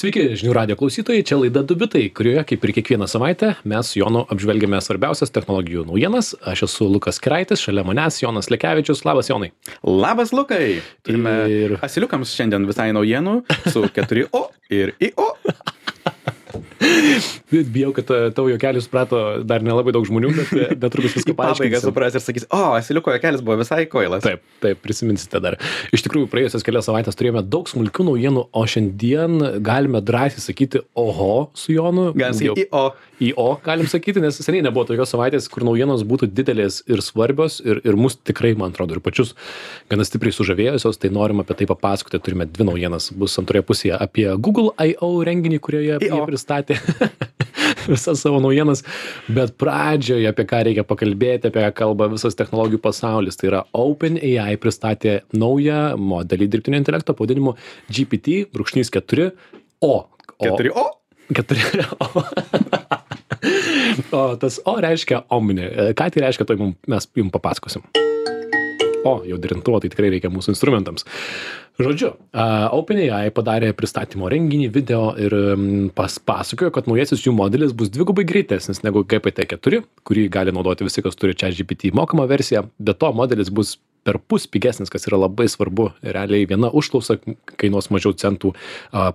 Sveiki, žinių radio klausytojai, čia laida Du bitai, kurioje, kaip ir kiekvieną savaitę, mes su Jonu apžvelgiame svarbiausias technologijų naujienas. Aš esu Lukas Keraitis, šalia manęs Jonas Lekevičius. Labas, Jonai. Labas, Lukai. Turime asiliukams šiandien visai naujienų su 4O ir IO. Bijau, kad tavo juokelis suprato dar nelabai daug žmonių, bet netrukus viską paaiškinsiu. Pabaiga supras ir sakys, asiliuko juokelis buvo visai kvailas. Taip, prisiminsite dar. Iš tikrųjų, praėjusias kelias savaitės turėjome daug smulkių naujienų, o šiandien galime drąsiai sakyti oho su Jonu. Galim sakyti IO galim sakyti, nes seniai nebuvo tokios savaitės, kur naujienos būtų didelės ir svarbios ir mus tikrai, man atrodo, ir pačius gana stipriai sužavėjusios, tai norim apie tai papasakoti. Turime dvi naujienas, bus antroje pusėje apie Google I.O. renginį, kurioje jie pristatė visas savo naujienas, bet pradžioje apie ką reikia pakalbėti, apie ką kalba visas technologijų pasaulis. Tai yra OpenAI pristatė naują modelį dirbtinio intelekto pavadinimu GPT-4o. 4O? 4o. O tas O reiškia omni. Ką tai reiškia, tai mes jums papasakosim. Jau derintuvo, tai tikrai reikia mūsų instrumentams. Žodžiu, OpenAI padarė pristatymo renginį, video ir pasakojo, kad naujasis jų modelis bus dvigubai greitesnis negu GPT-4, kurį gali naudoti visi, kas turi ChatGPT mokamą versiją. Be to, modelis bus perpus pigesnis, kas yra labai svarbu. Realiai viena užklausa kainuos mažiau centų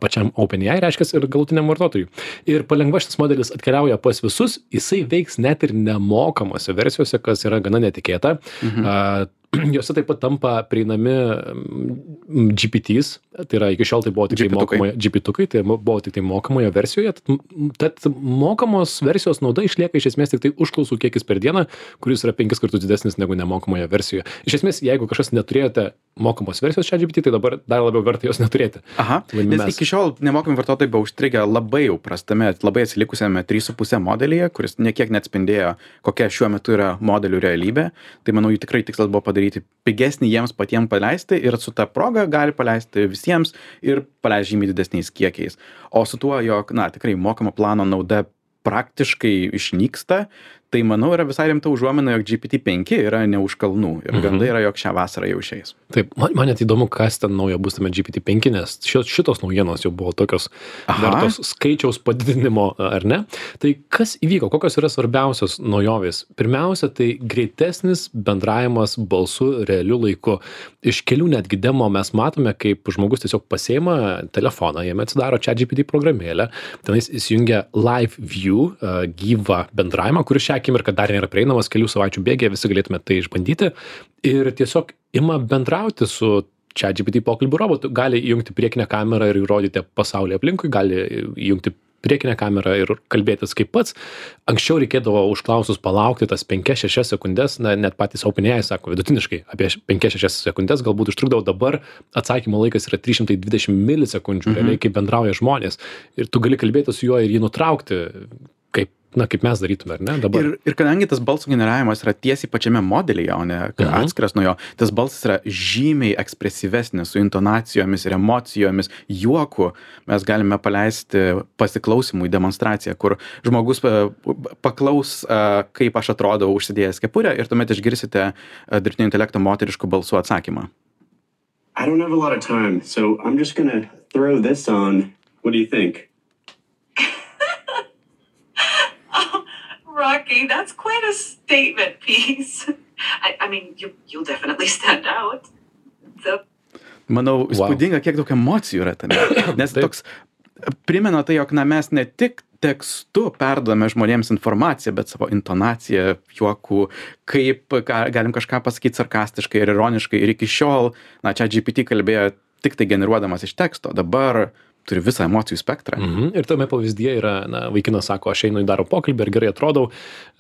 pačiam OpenAI, reiškia, ir galutiniam vartotojui. Ir palengva šitas modelis atkeliauja pas visus, jisai veiks net ir nemokamose versijose, kas yra gana netikėta. Jose taip pat tampa prieinami GPTs, tai yra iki šiol tai buvo tik GPT-ukai, tai buvo tik tai mokamoje versijoje. Tad mokamos versijos nauda išlieka iš esmės tik tai užklausų kiekis per dieną, kuris yra 5 kartus didesnis negu nemokamoje versijoje. Iš esmės, jeigu kažkas neturėjote mokamos versijos ChatGPT, tai dabar dar labiau verta jos neturėti. Nes iki šiol nemokami vartotojai buvo užstrigę labai jau prastame, labai atsilikusiame 3,5 modelyje, kuris niekiek neatspindėjo, kokia šiuo metu yra modelių realybė. Tai manau, jų tikrai tikslas buvo padaryti pigesnį jiems patiems paleisti ir su ta proga gali paleisti visiems ir paleisti žymiai didesniais kiekiais. O su tuo, jog, tikrai mokamo plano nauda praktiškai išnyksta, tai manau yra visai rimta užuomina, jog GPT-5 yra ne už kalnų ir gandai yra, jog šią vasarą jau išeis. Taip, man net įdomu, kas ten naujo bus tame GPT-5, nes šitos naujienos jau buvo tokios vertos skaičiaus padidinimo, ar ne? Tai kas įvyko, kokios yra svarbiausios naujovės? Pirmiausia, tai greitesnis bendravimas balsu realiu laiku. Iš kelių netgi demo mes matome, kaip žmogus tiesiog pasiima telefoną, jame atsidaro ChatGPT programėlę, tenais įsijungia Live View, gyvą bendravimą, kuris šią akimirką dar nėra prieinamas, kelių savaičių bėgyje visi galėtume tai išbandyti ir tiesiog ima bendrauti su ChatGPT pokalbių robotu. Gali įjungti priekinę kamerą ir įrodyti pasaulį aplinkui, gali įjungti priekinę kamerą ir kalbėtis kaip pats. Anksčiau reikėdavo užklausus palaukti tas 5-6 sekundės, net patys OpenAI sako, vidutiniškai apie 5-6 sekundės galbūt užtrukdavo, dabar atsakymo laikas yra 320 milisekundžių, realiai kaip bendrauja žmonės. Ir tu gali kalbėti su juo ir jį nutraukti, kaip mes darytume, ar ne, dabar. Ir kadangi tas balsų generavimas yra tiesiai pačiame modelyje, o ne atskiras nuo jo, tas balsas yra žymiai ekspresyvesnis, su intonacijomis ir emocijomis, juoku. Mes galime paleisti pasiklausimų į demonstraciją, kur žmogus paklaus, kaip aš atrodau užsidėjęs kepurę ir tuomet išgirsite dirbtinio intelekto moteriškų balsų atsakymą. I don't have a lot of time, so I'm just gonna throw this on. What do you think? Rocky, that's quite a statement piece. I mean, you'll definitely stand out. Manau, įspūdinga, kiek daug emocijų yra tame. Nes toks primena tai, jog mes ne tik tekstu perduodame žmonėms informaciją, bet savo intonaciją, juokų, kaip galim kažką pasakyti sarkastiškai ir ironiškai. Ir iki šiol, ChatGPT kalbėjo tik tai generuodamas iš teksto. Dabar turi visą emocijų spektrą. Ir tame pavyzdyje yra, vaikinas sako, aš einu į darbo pokalbį ir gerai atrodau,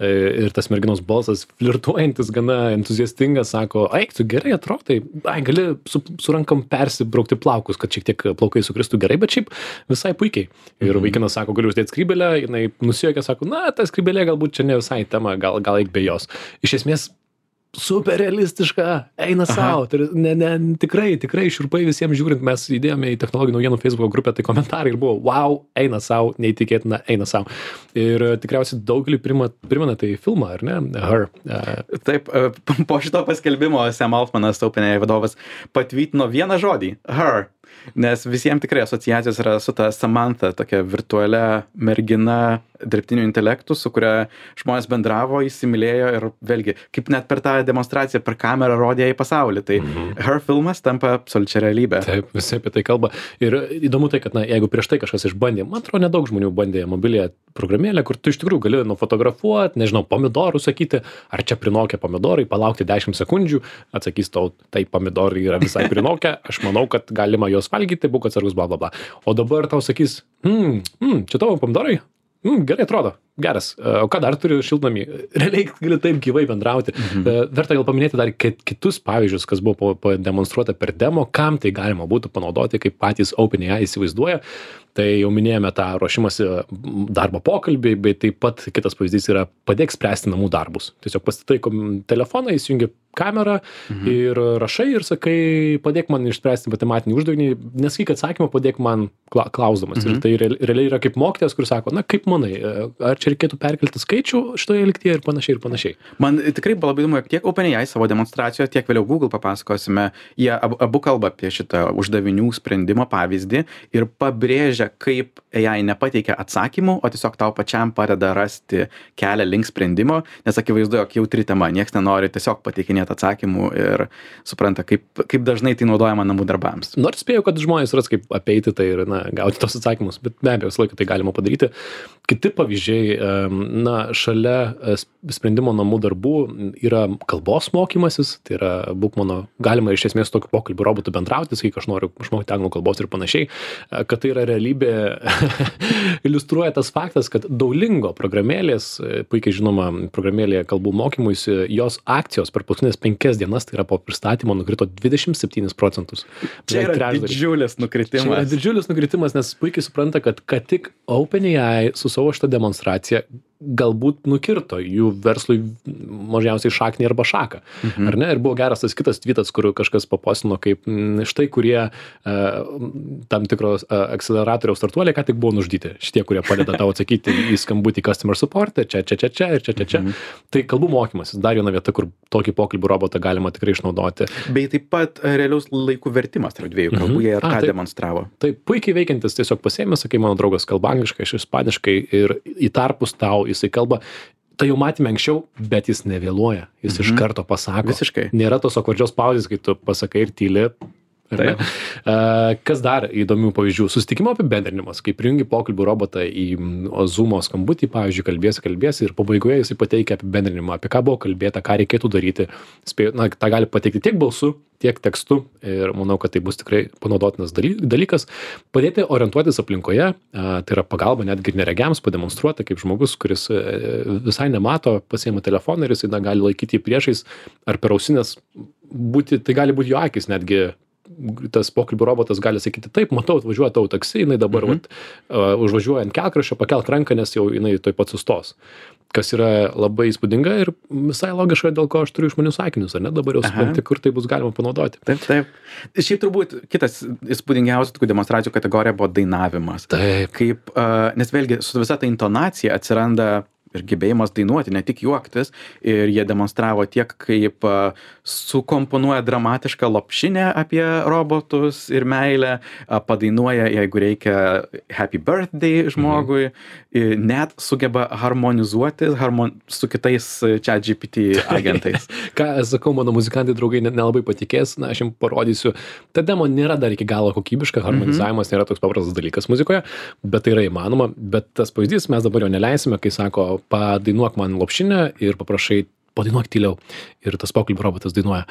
ir tas merginos balsas flirtuojantis, gana entuziastingas, sako, tu gerai atrodai, gali su rankam persibraukti plaukus, kad šiek tiek plaukai sukristų gerai, bet šiaip visai puikiai. Ir vaikinas sako, galiu uždėti skrybėlę, jinai nusijuokia, sako, ta skrybėlė galbūt čia ne visai tema, gal eik be jos. Iš esmės, super realistiška, eina savo. Tikrai šiurpai visiems žiūrint, mes įdėjome į technologijų naujienų Facebook grupę, tai komentarai ir buvo, wow, eina savo, neįtikėtina, eina savo. Ir tikriausiai daugelį primena tai filmą, ar ne? Her. Taip, po šito paskelbimo Sam Altmanas, OpenAI vadovas, patvytino vieną žodį, her. Nes visiems tikrai asociacijos yra su ta Samantha, tokia virtualia mergina dirbtiniu intelektu, su kuria žmonės bendravo, įsimylėjo ir vėlgi, kaip net per tą demonstraciją per kamerą rodė į pasaulį. Tai Her filmas tampa absoliučia realybė. Taip, visi apie tai kalba. Ir įdomu tai, kad jeigu prieš tai kažkas išbandė, man atrodo, nedaug žmonių bandė mobiliąją programėlę, kur tu iš tikrųjų gali nufotografuoti, nežinau, pomidorų sakyti, ar čia prinokę pomidorai, palaukti 10 sekundžių, atsakys tau, tai pomidorai yra visai prinokę, aš manau, kad galima juos valgyti, būk atsargus, bla bla bla. O dabar tau sakys, čia tavo pomidorai? Gerai atrodo, geras. O ką dar turiu šiltnamį? Realiai gali taip gyvai bendrauti. Verta gal paminėti dar kitus pavyzdžius, kas buvo pademonstruota per demo, kam tai galima būtų panaudoti, kaip patys OpenAI įsivaizduoja. Tai jau minėjome tą ruošimąsi darbo pokalbį, bet taip pat kitas pavyzdys yra padėk spręsti namų darbus. Tiesiog pasitai telefoną, įsijungi kamerą ir rašai ir sakai, padėk man išspręsti matematinį uždavinį, nesakyk atsakymą, padėk man klausdamas. Ir tai realiai yra kaip mokytojas, kuris sako, na kaip manai, ar čia reikėtų perkelti skaičių šitoje lygtyje ir panašiai ir panašiai. Man tikrai buvo labai įdomu, tiek OpenAI savo demonstracijoje, tiek vėliau Google papasakosime, jie abu kalba apie šitą uždavinių sprendimo pavyzdį ir pabrėžia, kaip AI nepateikia atsakymų, o tiesiog tau pačiam padeda rasti kelią link sprendimo, nes akivaizdu, jog jautri tema, nieks nenori tiesiog pateikinėti atsakymų ir supranta, kaip dažnai tai naudojama namų darbams. Nors spėjau, kad žmonės ras kaip apeiti tai ir gauti tos atsakymus, bet be abejo, visą laiką tai galima padaryti. Kiti pavyzdžiai, šalia sprendimo namų darbų yra kalbos mokymasis, tai yra galima iš esmės tokiu pokalbių robotų bendrauti, sakyk, aš noriu išmokti anglų kalbos ir panašiai, kad tai yra realybė, iliustruoja tas faktas, kad Duolingo programėlės, puikiai žinoma programėlėje kalbų mokymuisi, jos akcijos per paskutinės 5 dienas, tai yra po pristatymo, nukrito 27%. Čia yra didžiulis nukritimas. Čia yra didžiulis nukritimas, nes puikiai supranta, kad tik OpenAI su savo šitą demonstraciją galbūt nukirto jų verslui mažiausiai šaknį arba šaką. Ar ne? Ir buvo geras tas kitas tweetas, kur kažkas papostino, kaip štai kurie tam tikros akceleratoriaus startuoliai ką tik buvo nužudyti. Šitie, kurie padeda tau atsakyti į skambutį customer support, čia. Tai kalbų mokymasis, dar viena vieta, kur tokį pokalbių robotą galima tikrai išnaudoti. Bei taip pat realiaus laikų vertimas tarp dviejų kalbų, jie ir tą demonstravo. Tai puikiai veikiantis, tiesiog pasiėmė, sakai, mano draugas kalba angliškai, aš ispaniškai ir į tarpus tau jisai kalba. Tai jau matėme anksčiau, bet jis nevėluoja. Jis iš karto pasako. Visiškai. Nėra tos akvardžios pauzės, kai tu pasakai ir tyli. Kas dar įdomių pavyzdžių? Susitikimo apibendrinimas, kai prijungi pokalbių robotą į Zoom skambutį, pavyzdžiui, kalbėsi ir pabaigoje jisai pateikia apibendrinimą, apie ką buvo kalbėta, ką reikėtų daryti. Ta gali pateikti tiek balsu, tiek tekstu ir manau, kad tai bus tikrai panaudotinas dalykas. Padėti orientuotis aplinkoje, tai yra pagalba netgi neregiams pademonstruoti, kaip žmogus, kuris visai nemato, pasiima telefoną ir jisai gali laikyti jį priešais ar per ausinės tai gali būti jo akis netgi. Tas pokalbių robotas gali sakyti, taip, matau, atvažiuoja tau taksi, jinai dabar užvažiuoja ant kelkraščio, pakelk ranką, nes jau jinai tuoj pat sustos. Kas yra labai įspūdinga ir visai logiška, dėl ko aš turiu išmanius akinius, ar ne? Dabar jau supranti, kur tai bus galima panaudoti. Taip. Šiaip turbūt kitas įspūdingiausių tokių demonstracijų kategorija buvo dainavimas. Taip. Nes vėlgi su visa ta intonacija atsiranda ir gebėjimas dainuoti, ne tik juoktis, ir jie demonstravo tiek, kaip sukomponuoja dramatišką lopšinę apie robotus ir meilę, padainuoja, jeigu reikia happy birthday žmogui, net sugeba harmonizuoti su kitais ChatGPT agentais. Ką sakau, mano muzikantai draugai nelabai patikės, aš jums parodysiu. Ta demo nėra dar iki galo kokybiška, harmonizavimas nėra toks paprastas dalykas muzikoje, bet tai yra įmanoma, bet tas pavyzdys mes dabar jo neleisime, kai sako, padainuok man lopšinę ir paprašai, padainuok tyliau. Ir tas pokalbių robotas dainuoja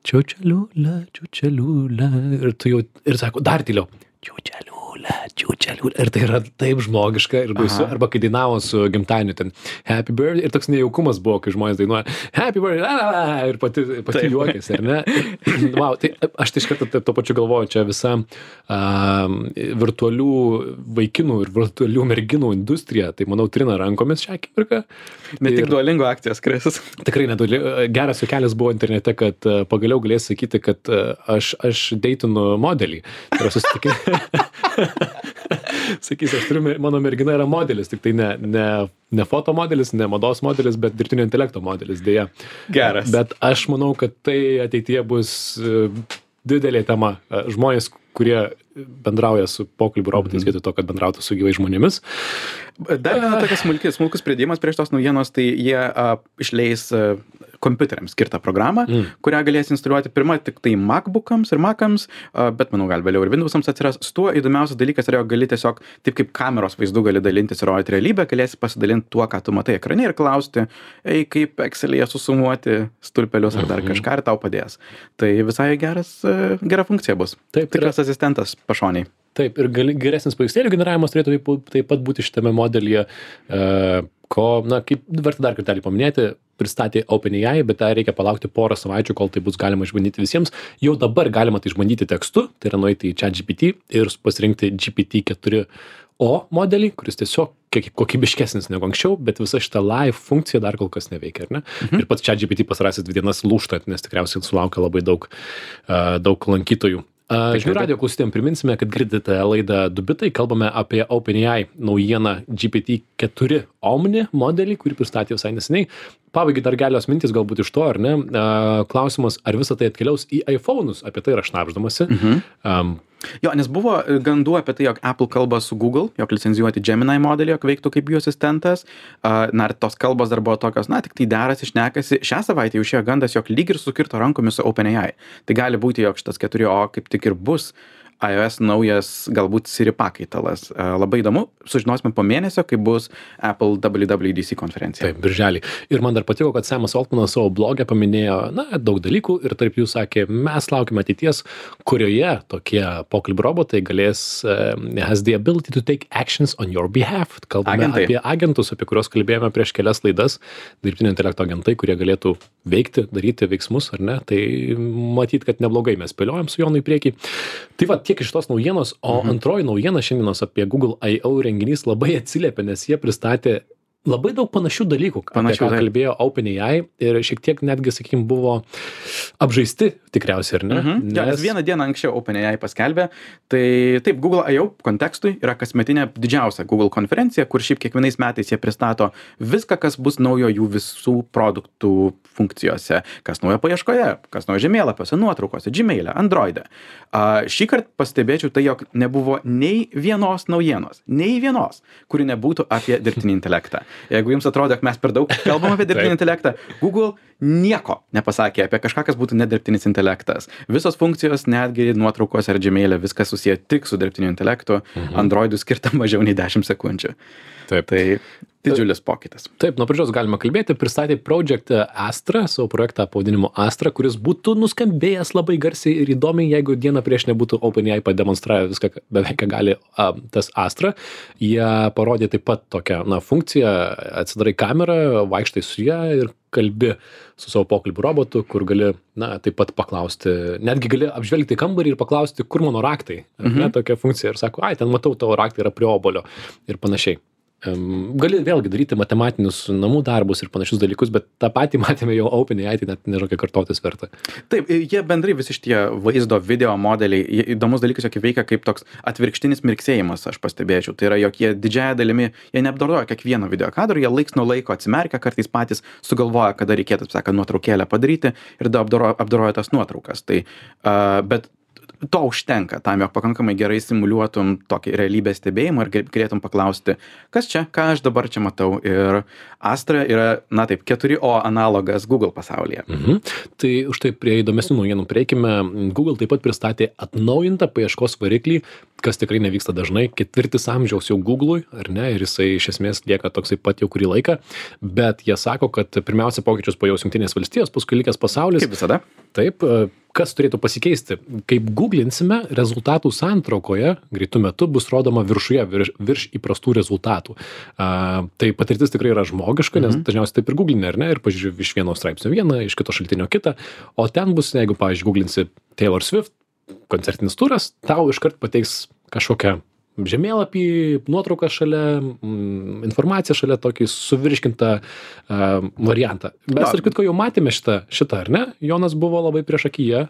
čiučeliūlė, čiučeliūlė. Ir tu jau, ir sako, dar tyliau. Čiučeliūlė. Ir tai yra taip žmogiška ir baisu. Arba kai dainavo su gimtadieniu ten Happy Birthday ir toks nejaukumas buvo, kai žmonės dainuoja Happy Birthday ir pati juokėsi, ar ne? Wow, tai aš tai iš karto to pačiu galvoju, čia visa virtualių vaikinų ir virtualių merginų industrija, tai manau trina rankomis šią akimirką. Ne tik Duolingo akcijos, Krisas. Tikrai geras juokelis buvo internete, kad pagaliau galės sakyti, kad aš deitinu modelį. Tai yra susitikimai. Sakys, mano mergina yra modelis, tik tai ne foto modelis, ne mados modelis, bet dirbtinio intelekto modelis, dėja. Geras. Bet aš manau, kad tai ateityje bus didelė tema. Žmonės, kurie bendrauja su pokalbių robotais vietoj to, kad bendrautų su gyvais žmonėmis. Dar viena tokia smulkus pridėjimas prieš tos naujienos, tai jie išleis kompiuteriams skirtą programą, kurią galės instaliuoti pirmą tik tai MacBookams ir Macams, bet manau gal vėliau ir Windowsams atsiras. Su tuo įdomiausias dalykas yra, jog gali tiesiog, taip kaip kameros vaizdu gali dalintis ir rodyti realybę, galėsi pasidalinti tuo, ką tu matai ekrane ir klausti, kaip Excel'yje susumuoti stulpelius ar dar kažką ir tau padės. Tai visai gera funkcija bus. Taip, tikras asistentas pašoniai. Taip, ir geresnis paveikslėlių generavimas turėtų taip pat būti šitame modelyje, kaip verta dar kartelį paminėti, pristatė OpenAI, bet tai reikia palaukti porą savaičių, kol tai bus galima išbandyti visiems. Jau dabar galima tai išbandyti tekstu, tai yra nueiti į ChatGPT ir pasirinkti GPT-4o modelį, kuris tiesiog kiek kokybiškesnis negu anksčiau, bet visa šita live funkcija dar kol kas neveikia, ar ne? Ir pats ChatGPT pasarąsis 2 dienas lūžta, nes tikriausiai sulaukia labai daug lankytojų. Žinių radijo klausytėm priminsime, kad girdite laidą Du bitai, kalbame apie OpenAI naujieną GPT-4 Omni modelį, kurį pristatė visai neseniai. Pabaigai dar kelios mintys galbūt iš to, ar ne? Klausimas, ar visą tai atkeliaus į iPhone'us, apie tai yra šnabždamasi. Jo, nes buvo gandų apie tai, jog Apple kalba su Google, jog licenzijuoti Gemini modelį, jog veiktų kaip jų asistentas. Ir tos kalbos dar buvo tokios, tik tai derasi, šnekasi. Šią savaitę jau išėjo gandas, jog lyg ir sukirto rankomis su OpenAI. Tai gali būti, jog šitas 4o kaip tik ir bus iOS naujas galbūt Siri pakaitalas. Labai įdomu, sužinosime po mėnesio, kai bus Apple WWDC konferencija. Taip, birželį. Ir man dar patiko, kad Samas Altmanas savo blogę paminėjo, daug dalykų ir tarp jų sakė, mes laukime ateities, kurioje tokie pokalbių robotai galės has the ability to take actions on your behalf. Kalbame apie agentus, apie kuriuos kalbėjome prieš kelias laidas, dirbtinio intelekto agentai, kurie galėtų veikti, daryti veiksmus, ar ne? Tai matyt, kad neblogai mes spėliojam su Jonu į priekį. Tai va, tiek iš tos naujienos, o antroji naujiena šiandienos apie Google I.O. renginys labai atsiliepė, nes jie pristatė labai daug panašių dalykų, apie ką kalbėjo OpenAI ir šiek tiek netgi, sakykime, buvo apžaisti tikriausiai, ar ne? Nes vieną dieną anksčiau OpenAI paskelbė, tai taip, Google I.O. kontekstui yra kasmetinė didžiausia Google konferencija, kur šiaip kiekvienais metais jie pristato viską, kas bus naujo jų visų produktų funkcijose, kas naujo paieškoje, kas naujo žemėlapiuose, nuotraukose, Gmail'e, Android'e. Šį kartą pastebėčiau tai, jog nebuvo nei vienos naujienos, kuri nebūtų apie dirbtinį intelektą. Jeigu jums atrodo, kad mes per daug kalbam apie dirbtinį intelektą, Google nieko nepasakė apie kažką, kas būtų nedirbtinis intelektas. Visos funkcijos, netgi nuotraukos ar Gmail'e, viskas susiję tik su dirbtiniu intelektu, Android'ui skirta mažiau nei 10 sekundžių. Taip. Tai didžiulis pokytis. Taip, nuo pradžios galima kalbėti, pristatė Project Astra, savo projektą pavadinimu Astra, kuris būtų nuskambėjęs labai garsiai ir įdomiai, jeigu dieną prieš nebūtų OpenAI pademonstravę viską, beveik ką gali tas Astra. Jie parodė taip pat tokią funkciją, atsidarai kamerą, vaikštai su ją ir kalbi su savo pokalbių robotu, kur gali, taip pat paklausti, netgi gali apžvelgti kambarį ir paklausti, kur mano raktai. Tokia funkcija ir sako, ten matau, tavo raktai yra prie obuolio ir panašiai. Gali vėlgi daryti matematinius namų darbus ir panašius dalykus, bet tą patį matėme jau OpenAI, tai net nežinau, kiek kartotis verta. Taip, jie bendrai visi šitie vaizdo video modeliai, įdomus dalykas, jog veikia kaip toks atvirkštinis mirksėjimas, aš pastebėčiau. Tai yra, jog jie didžiąją dalimi, jie neapdoroja kiekvieno video kadro, jie laiks nuo laiko atsimerkia, kartais patys sugalvoja, kada reikėtų, nuotraukėlę padaryti ir apdoroja tas nuotraukas. Tai, bet to užtenka tam, jog pakankamai gerai simuliuotum tokį realybės stebėjimą ir galėtum paklausti, kas čia, ką aš dabar čia matau. Ir Astra yra, 4o analogas Google pasaulyje. Tai už tai prie įdomesnių naujienų prieikime. Google taip pat pristatė atnaujintą paieškos variklį, kas tikrai nevyksta dažnai. 4 amžiaus jau Google'ui, ar ne? Ir jisai iš esmės lieka toksai pat jau kurį laiką. Bet jie sako, kad pirmiausia pokyčius pajaus Jungtinės valstijos, paskui likęs pasaulis. Kaip visada. Taip, kas turėtų pasikeisti? Kaip googlinsime, rezultatų santraukoje greitų metu bus rodoma viršuje, virš įprastų rezultatų. Tai patirtis tikrai yra žmogiška, nes dažniausiai taip ir googlinė, ar ne? Ir pažiūrėjau, iš vieno straipsnio vieną, iš kito šaltinio kitą. O ten bus, jeigu, pavyzdžiui, googlinsi Taylor Swift, koncertinis turas, tau iškart pateiks kažkokią žemėlapį, nuotrauką šalia, informaciją šalia, tokį suvirškintą variantą. Mes ir kitko jau matėme šitą, ar ne? Jonas buvo labai priešakyje.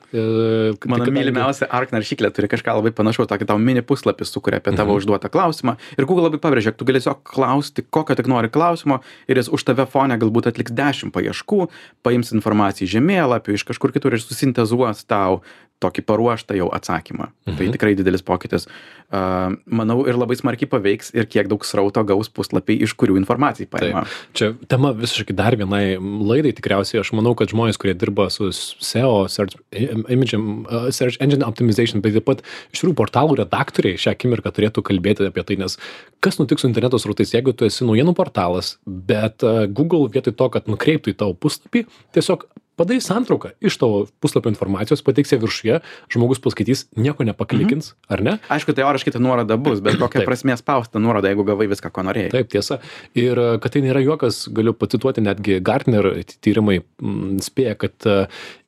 Mano mylimiausia ARC naršyklė turi kažką labai panašaus, tokį tau mini puslapį sukuria apie tavo užduotą klausimą. Ir Google labai pabrėžia, kad tu gali tiesiog klausti, kokio tik nori klausimo, ir jis už tave fone galbūt atliks 10 paieškų, paims informaciją iš žemėlapių, iš kažkur kitur ir susintezuos tau tokį paruoštą jau atsakymą. Tai tikrai didelis pokytis. Manau, ir labai smarkiai paveiks ir kiek daug srauto gaus puslapiai, iš kurių informacijai paima. Čia tema visiškai dar vienai laidai tikriausiai. Aš manau, kad žmonės, kurie dirba su SEO, Search Engine Optimization, bet taip pat iš tikrųjų portalų redaktoriai šią akimirką turėtų kalbėti apie tai, nes kas nutiks su interneto srautais, jeigu tu esi naujienų portalas, bet Google vietoj to, kad nukreiptų į tavo puslapį, tiesiog padarys santrauką iš tavo puslapio informacijos, pateiks ją viršuje, žmogus paskaitys, nieko nepaklikins, ar ne? Aišku, teoriškai ta nuoroda bus, bet kokia prasmė spausta nuoroda, jeigu gavai viską, ko norėjai. Taip, tiesa. Ir kad tai nėra juokas, galiu pacituoti, netgi Gartner tyrimai spėja, kad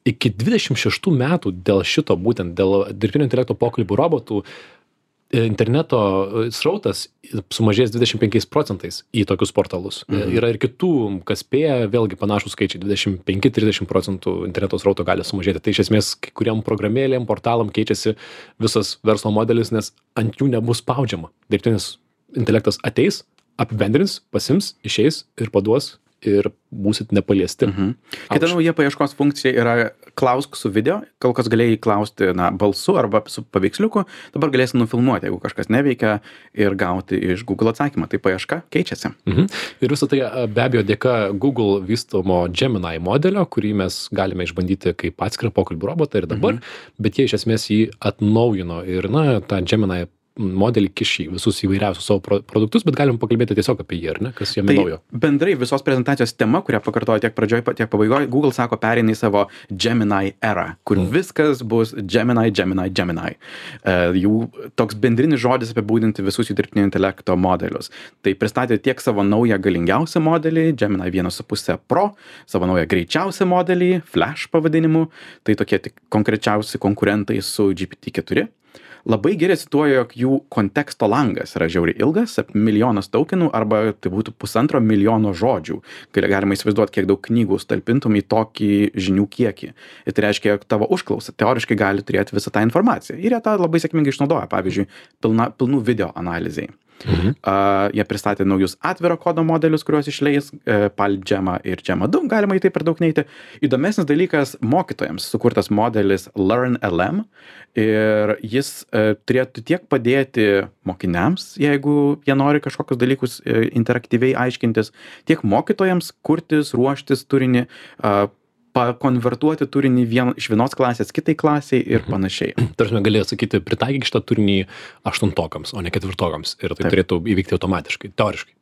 iki 26 metų dėl šito, būtent dėl dirbtinio intelekto pokalbių robotų, interneto srautas sumažės 25% į tokius portalus. Yra ir kitų, kas spėja, vėlgi panašus skaičiai, 25-30% interneto srauto gali sumažėti. Tai iš esmės, kai kuriam programėlėm, portalam keičiasi visas verslo modelis, nes ant jų nebus spaudžiama. Dirbtinis intelektas ateis, apibendrins, pasims, išeis ir paduos ir būsit nepaliesti. Kita nauja paieškos funkcija yra klausk su video. Kol kas galėjai klausti balsu arba su paveiksliuku, dabar galėsi nufilmuoti, jeigu kažkas neveikia, ir gauti iš Google atsakymą. Tai paieška keičiasi. Ir visą tai be abejo dėka Google vystomo Gemini modelio, kurį mes galime išbandyti kaip atskirą pokalbių robotą ir dabar, bet jie iš esmės jį atnaujino ir tą Gemini modelį kišį visus įvairiausius savo produktus, bet galim pakalbėti tiesiog apie jį, ar ne, kas jame naujo. Bendrai visos prezentacijos tema, kurią pakartojo tiek pradžioj, tiek pabaigoje, Google sako pereina į savo Gemini erą, kur viskas bus Gemini. Jų toks bendrinis žodis apibūdinti visus jų dirbtinio intelekto modelius. Tai pristatė tiek savo naują galingiausią modelį, Gemini 1.5 Pro, savo naują greičiausią modelį, Flash pavadinimu, tai tokie tik konkrečiausi konkurentai su GPT-4. Labai gerai cituoju, jog jų konteksto langas yra žiauriai ilgas, 1 milijonas tokenų, arba tai būtų 1,5 milijono žodžių. Galima įsivaizduoti, kiek daug knygų talpintum į tokį žinių kiekį. Ir tai reiškia, jog tavo užklausa teoriškai gali turėti visą tą informaciją. Ir jie tą labai sėkmingai išnaudoja, pavyzdžiui, pilnų video analizai. Jie pristatė naujus atviro kodo modelius, kuriuos išleis, PalGemma ir Gemma 2, galima į tai per daug neiti. Įdomesnis dalykas, mokytojams sukurtas modelis LearnLM, ir jis turėtų tiek padėti mokiniams, jeigu jie nori kažkokius dalykus interaktyviai aiškintis, tiek mokytojams kurtis, ruoštis turinį, pakonvertuoti turinį iš vienos klasės kitai klasiai ir panašiai. Tarsi galėjo sakyti, pritaikyk šitą turinį 8-okams, o ne 4-okams, ir tai turėtų įvykti automatiškai, teoriškai.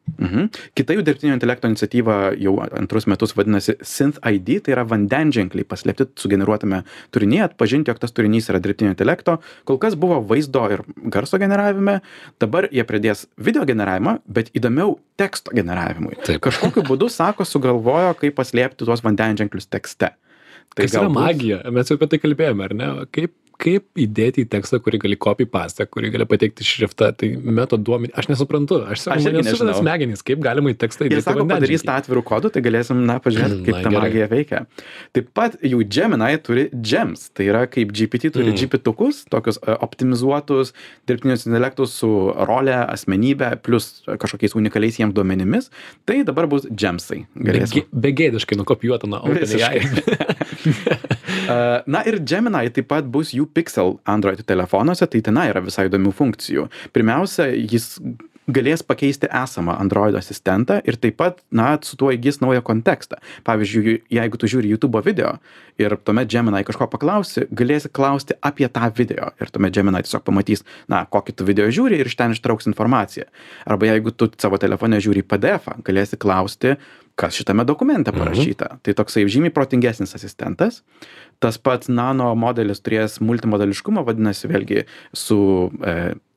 Kita jų dirbtinio intelekto iniciatyva jau antrus metus vadinasi SynthID, tai yra vandenženkliai paslėpti sugeneruotame turinyje, atpažinti, jog tas turinys yra dirbtinio intelekto. Kol kas buvo vaizdo ir garso generavime, dabar jie pradės video generavimą, bet įdomiau teksto generavimui. Kažkokiu būdu, sako, sugalvojo, kaip paslėpti tuos vandenženklius tekste. Tai kas yra magija? Mes jau apie tai kalbėjome, ar ne? Kaip įdėti į tekstą, kurį gali copy-paste, kurį gali pateikti šriftą, tai metoduomenį. Aš nesuprantu. Aš nesuprantu smegenys, kaip galima į tekstą įdėti. Jie sako, padarys tą atvirų kodų, tai galėsim, pažiūrėti, kaip ta magija veikia. Taip pat jų Gemini turi Gems, tai yra kaip GPT turi GPT-tukus, tokius optimizuotus dirbtinius intelektus su rolė, asmenybė, plus kažkokiais unikaliais jiems duomenimis. Tai dabar bus Gemsai. Begėdiškai nukopijuota nuo OpenAI. Ir Gemini taip pat bus jų Pixel Android telefonuose, tai ten yra visai įdomių funkcijų. Pirmiausia, jis galės pakeisti esamą Android asistentą ir taip pat, su tuo įgis naują kontekstą. Pavyzdžiui, jeigu tu žiūri YouTube video ir tuomet Gemini kažko paklausi, galėsi klausti apie tą video ir tuomet Gemini tiesiog pamatys, kokį tu video žiūri ir iš ten ištrauks informaciją. Arba jeigu tu savo telefone žiūri PDF-ą, galėsi klausti, kas šitame dokumente parašyta. Tai toksai žymiai protingesnis asistentas. Tas pats nano modelis turės multimodališkumą, vadinasi, vėlgi su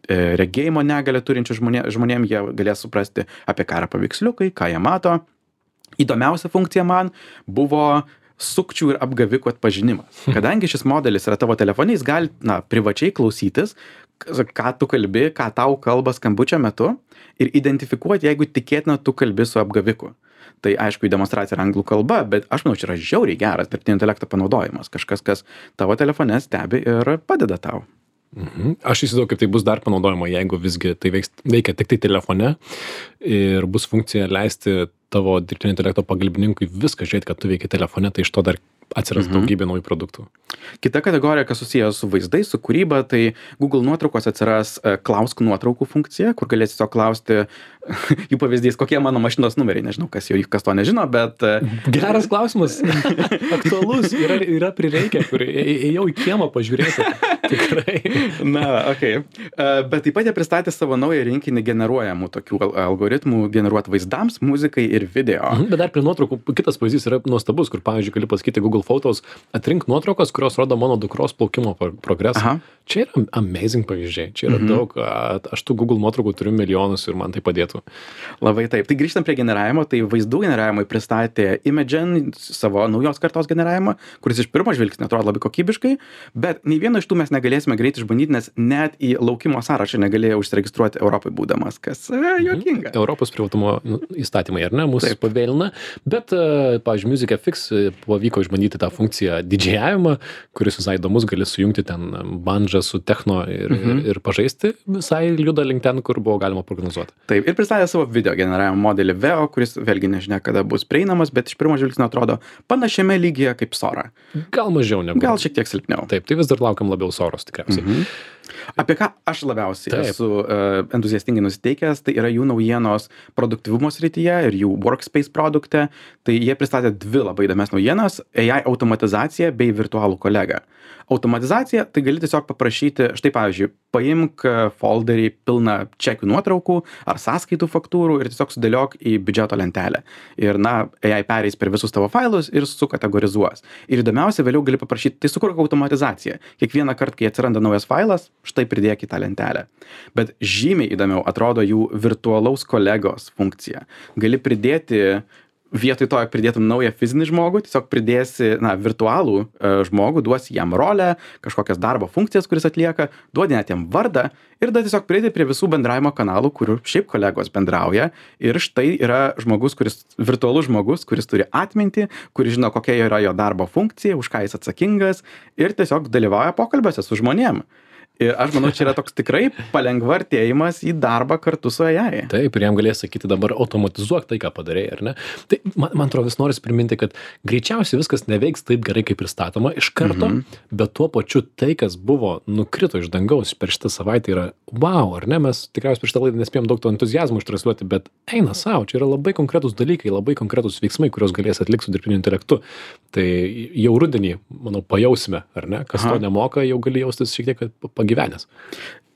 regėjimo negalią turinčių žmonėm jie galės suprasti, apie ką yra paveiksliukai, ką jie mato. Įdomiausia funkcija man buvo sukčių ir apgavikų atpažinimas. Kadangi šis modelis yra tavo telefone, jis gali, privačiai klausytis, ką tu kalbi, ką tau kalba skambučio metu ir identifikuoti, jeigu tikėtina tu kalbi su apgaviku. Tai aišku, į demonstraciją yra anglų kalba, bet aš manau, čia yra žiauriai geras dirbtinio intelekto panaudojimas. Kažkas, kas tavo telefone stebi ir padeda tau. Aš įsivaizduoju, kaip tai bus dar panaudojama, jeigu visgi tai veikia tik tai telefone ir bus funkcija leisti tavo dirbtinio intelekto pagalbininkui viską žiūrėti, kad tu veikia telefone, tai iš to dar atsiras daugybė naujų produktų. Kita kategorija, kas susijęs su vaizdais, su kūryba, tai Google nuotraukos atsiras klausk nuotraukų funkcija, kur galėsi tiesiog klausti jų pavyzdys, kokie mano mašinos numeriai, nežinau, kas to nežino, bet... Geras klausimas, aktualus, yra prireikę, kur ėjau į kiemą pažiūrėti, tikrai. Okay. Bet taip pat jie pristatė savo naują rinkinį generuojamų tokių algoritmų generuoti vaizdams, muzikai ir video. Bet dar prie nuotraukų kitas pavyzdys yra nuostabus, kur, pavyzdžiui, gali pasakyti Google Photos, atrink nuotraukas, kurios rodo mano dukros plaukimo progresą. Čia yra amazing pavyzdžiai, čia yra daug, aš tų Google nuotraukų turiu milijonus ir man tai padėtų. Labai taip. Tai grįžtant prie generavimo, tai vaizdų generavimui pristatė Imagen savo naujos kartos generavimą, kuris iš pirmo žvilgsnio atrodo labai kokybiškai, bet nei vieno iš tų mes negalėsime greit išbandyti, nes net į laukimo sąrašą negalėjo užsiregistruoti Europai būdamas, kas juokinga. Europos privatumo įstatymai, ar ne, mūsų pavėlina, bet, pavyzdžiui, Music FX pavyko išbandyti tą funkciją didžėjavimą, kuris visai įdomus, gali sujungti ten bandžą su techno ir pažaisti, visai juda link ten, kur buvo galima prognozuoti. Taip, ir pristatė savo video generavimo modelį Veo, kuris vėlgi nežinia, kada bus prieinamas, bet iš pirmo žvilgsnio atrodo panašiame lygyje kaip Sora. Gal mažiau negu. Gal šiek tiek silpniau. Taip, tai vis dar laukiam labiau Soros tikriausiai. Apie ką aš labiausiai esu entuziastingai nusiteikęs, tai yra jų naujienos produktyvumo srityje ir jų Workspace produkte. Tai jie pristatė dvi labai įdomias naujienas - AI automatizacija bei virtualų kolegą. Automatizacija, tai gali tiesiog paprašyti, štai pavyzdžiui, paimk folderį pilną čekių nuotraukų ar sąskaitų faktūrų ir tiesiog sudėliok į biudžeto lentelę. Ir AI pereis per visus tavo failus ir sukategorizuos. Ir įdomiausia, vėliau gali paprašyti, tai sukurk automatizaciją. Kiekvieną kartą, kai atsiranda naujas failas, štai pridėk į tą lentelę. Bet žymiai įdomiau atrodo jų virtualaus kolegos funkcija. Gali pridėti, vietoj to, jog pridėtum naują fizinį žmogų, tiesiog pridėsi virtualų žmogų, duosi jam rolę, kažkokias darbo funkcijas, kuris atlieka, duodi net jam vardą ir tada tiesiog pridėti prie visų bendravimo kanalų, kurių šiaip kolegos bendrauja. Ir štai yra virtualus žmogus, kuris turi atmintį, kuris žino, kokia yra jo darbo funkcija, už ką jis atsakingas ir tiesiog dalyvauja pokalbiuose su žmonėm. Ir aš manau, čia yra toks tikrai palengvartėjimas į darbą kartu su AI. Taip, ir jam galės sakyti dabar automatizuok tai, ką padarei, ar ne? Tai man atrodo, vis noris priminti, kad greičiausiai viskas neveiks taip gerai, kaip pristatoma iš karto, bet tuo pačiu tai, kas buvo nukrito iš dangaus per šitą savaitę yra wow, ar ne? Mes tikriausiai per šitą laidą nespėjom daug to entuziazmo ištransliuoti, bet eina savo, čia yra labai konkretus dalykai, labai konkretus veiksmai, kuriuos galės atlikti su dirbtiniu intelektu. Tai jau rudenį, manau, pajausime, ar ne? Kas to nemoka, jau gali jaustis šiek tiek pagyvenęs.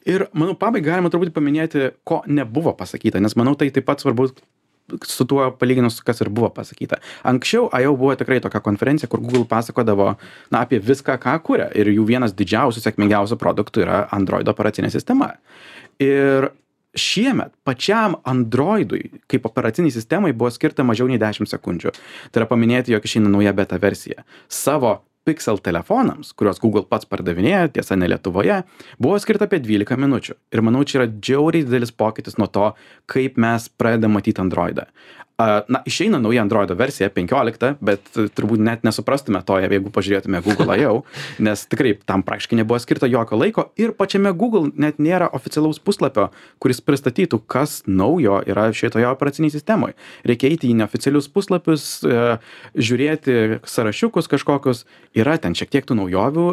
Ir, manau, pabaigai galima turbūt paminėti, ko nebuvo pasakyta, nes manau, tai taip pat svarbu su tuo palyginus, kas ir buvo pasakyta. Anksčiau jau buvo tikrai tokia konferencija, kur Google pasakodavo apie viską, ką kuria. Ir jų vienas didžiausių, sėkmingiausių produktų yra Android operacinė sistema. Ir šiemet pačiam Androidui kaip operaciniai sistemai buvo skirta mažiau nei 10 sekundžių. Tai yra paminėti, jog išeina nauja beta versija. Savo Pixel telefonams, kuriuos Google pats pardavinėja, tiesa ne Lietuvoje, buvo skirta apie 12 minučių. Ir manau, čia yra džiauriai didelis pokytis nuo to, kaip mes pradedam matyti Androidą. Išeina nauja Androido versija 15, bet turbūt net nesuprastume to, jeigu pažiūrėtume Google jau, nes tikrai tam praktiškai nebuvo skirta jokio laiko ir pačiame Google net nėra oficialaus puslapio, kuris pristatytų, kas naujo yra šitoje operaciniai sistemoje. Reikia eiti į neoficialius puslapius, žiūrėti sąrašiukus kažkokius, yra ten šiek tiek tų naujovių,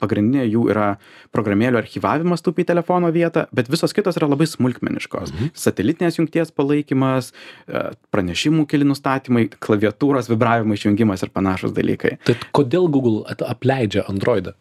pagrindinė jų yra programėlių archyvavimas tupį telefono vietą, bet visos kitos yra labai smulkmeniškos. Satelitinės jungties palaikymas, pranešimų keli nustatymai, klaviatūros vibravimo išjungimas ir panašus dalykai. Tai kodėl Google apleidžia Androidą?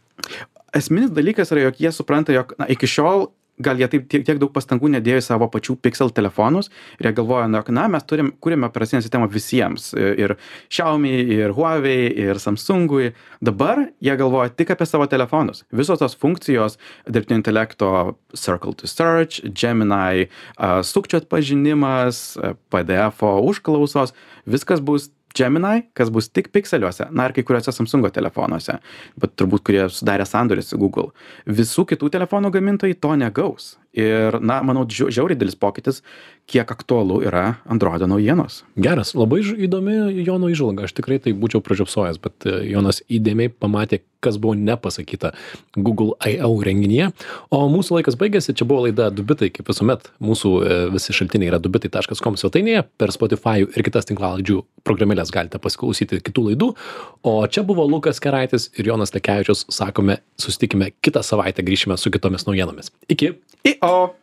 Esminis dalykas yra, jog jie supranta, jog iki šiol gal jie taip tiek daug pastangų nedėjo į savo pačių Pixel telefonus ir jie galvoja, jog mes kūrėme operacinę sistemą visiems, ir Xiaomi, ir Huawei, ir Samsungui. Dabar jie galvoja tik apie savo telefonus. Visos tos funkcijos, dirbtinio intelekto Circle to Search, Gemini, sukčių atpažinimas, PDF užklausos, viskas bus Gemini, kas bus tik pikseliuose, na ir kai kuriuose Samsungo telefonuose, bet turbūt kurie sudarė sandorį su Google. Visų kitų telefonų gamintojai to negaus. Ir, na, manau, žiauriai didelis pokytis, kiek aktualu yra Androido naujienos. Geras, labai įdomi Jono įžvalga, aš tikrai tai būčiau pražiopsojęs, bet Jonas įdėmiai pamatė, kas buvo nepasakyta Google I.O. renginyje. O mūsų laikas baigėsi, čia buvo laida Dubitai, kaip visuomet, mūsų visi šaltiniai yra dubitai.com svetainėje, per Spotify ir kitas tinklalaidžių programėlės galite pasiklausyti kitų laidų. O čia buvo Lukas Keraitis ir Jonas Lekevičius, sakome, susitikime kitą savaitę, grįšime su kitomis naujienomis. Iki! I-o!